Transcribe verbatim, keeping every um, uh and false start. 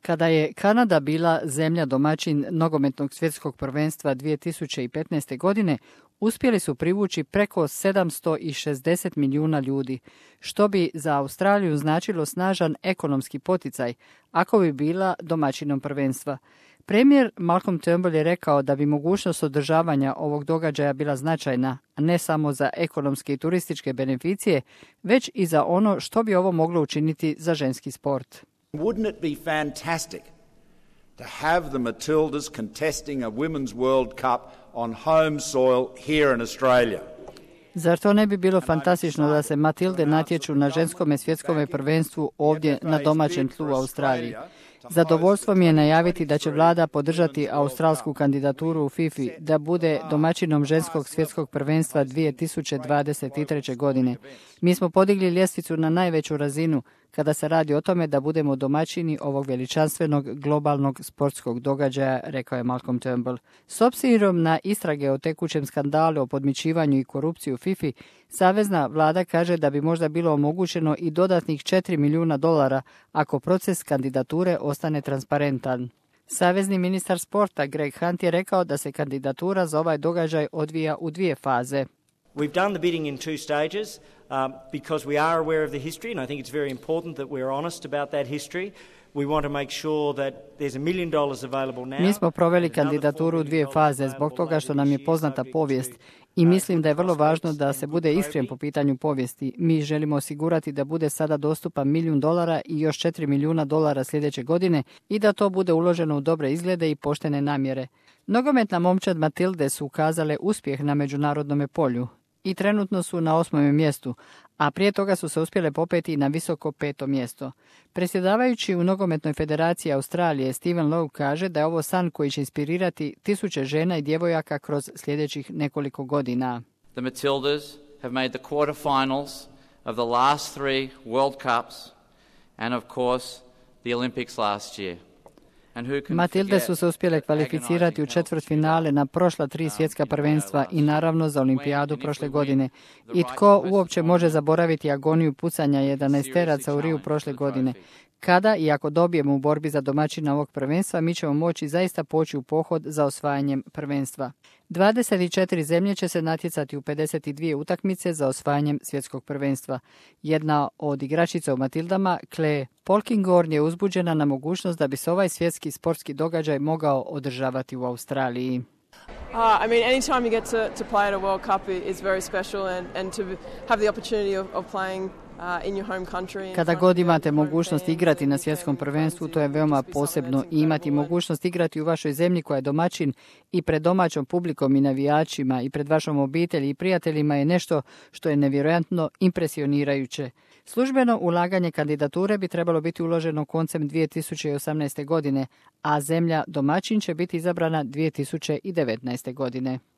Kada je Kanada bila zemlja domaćin nogometnog svjetskog prvenstva dvije tisuće petnaeste. godine, uspjeli su privući preko sedamsto šezdeset milijuna ljudi, što bi za Australiju značilo snažan ekonomski poticaj, ako bi bila domaćinom prvenstva. Premijer Malcolm Turnbull je rekao da bi mogućnost održavanja ovog događaja bila značajna, ne samo za ekonomske i turističke beneficije, već i za ono što bi ovo moglo učiniti za ženski sport. Wouldn't it be fantastic to have the Matildas contesting a Women's World Cup on home soil here in Australia? Zar to ne bi bilo fantastično da se Matilde natječu na ženskome svjetskome prvenstvu ovdje na domaćem tlu u Australiji? Zadovoljstvo mi je najaviti da će vlada podržati australsku kandidaturu u fifi da bude domaćinom ženskog svjetskog prvenstva dvije tisuće dvadeset treće. godine. Mi smo podigli ljestvicu na najveću razinu kada se radi o tome da budemo domaćini ovog veličanstvenog globalnog sportskog događaja, rekao je Malcolm Turnbull. S obzirom na istrage o tekućem skandalu o podmićivanju i korupciji u fifi, savezna vlada kaže da bi možda bilo omogućeno i dodatnih četiri milijuna dolara ako proces kandidature ostane transparentan. Savezni ministar sporta Greg Hunt je rekao da se kandidatura za ovaj događaj odvija u dvije faze. We've done the bidding in two stages um, because we are aware of the history, and I think it's very important that we're honest about that history. We want to make sure that there's a million dollars available now. Mi smo proveli kandidaturu u dvije faze zbog toga što nam je poznata povijest i mislim da je vrlo važno da se bude iskren po pitanju povijesti. Mi želimo osigurati da bude sada dostupan milijun dolara i još četiri milijuna dolara sljedeće godine i da to bude uloženo u dobre izglede i poštene namjere. Nogometna momčad Matilde su ukazale uspjeh na međunarodnom polju i trenutno su na osmom mjestu, a prije toga su se uspjele popeti na visoko peto mjesto. Predsjedavajući u Nogometnoj federaciji Australije, Stephen Lowe kaže da je ovo san koji će inspirirati tisuće žena i djevojaka kroz sljedećih nekoliko godina. The Matildas have made the quarterfinals of the last three World Cups and of course the Olympics last year. Matilde su se uspjele kvalificirati u četvrtfinale na prošla tri svjetska prvenstva i naravno za olimpijadu prošle godine. I tko uopće može zaboraviti agoniju pucanja jedanaesteraca u Riju prošle godine? Kada i ako dobijemo u borbi za domaćina ovog prvenstva, mi ćemo moći zaista poći u pohod za osvajanjem prvenstva. dvadeset četiri zemlje će se natjecati u pedeset dvije utakmice za osvajanjem svjetskog prvenstva. Jedna od igračica u Matildama, Claire Polkinghorne, je uzbuđena na mogućnost da bi se ovaj svjetski sportski događaj mogao održavati u Australiji. Uh, I mean, anytime you get to, to play at a World Cup is very special, and, and to have the opportunity of, of playing uh, in your home country. Kada god imate mogućnost igrati na svjetskom prvenstvu, to je veoma posebno. I imati mogućnost igrati u vašoj zemlji koja je domaćin i pred domaćom publikom i navijačima i pred vašom obitelji i prijateljima je nešto što je nevjerojatno impresionirajuće. Službeno ulaganje kandidature bi trebalo biti uloženo koncem dvije tisuće osamnaeste. godine, a zemlja domaćin će biti izabrana dvije tisuće devetnaeste. godine.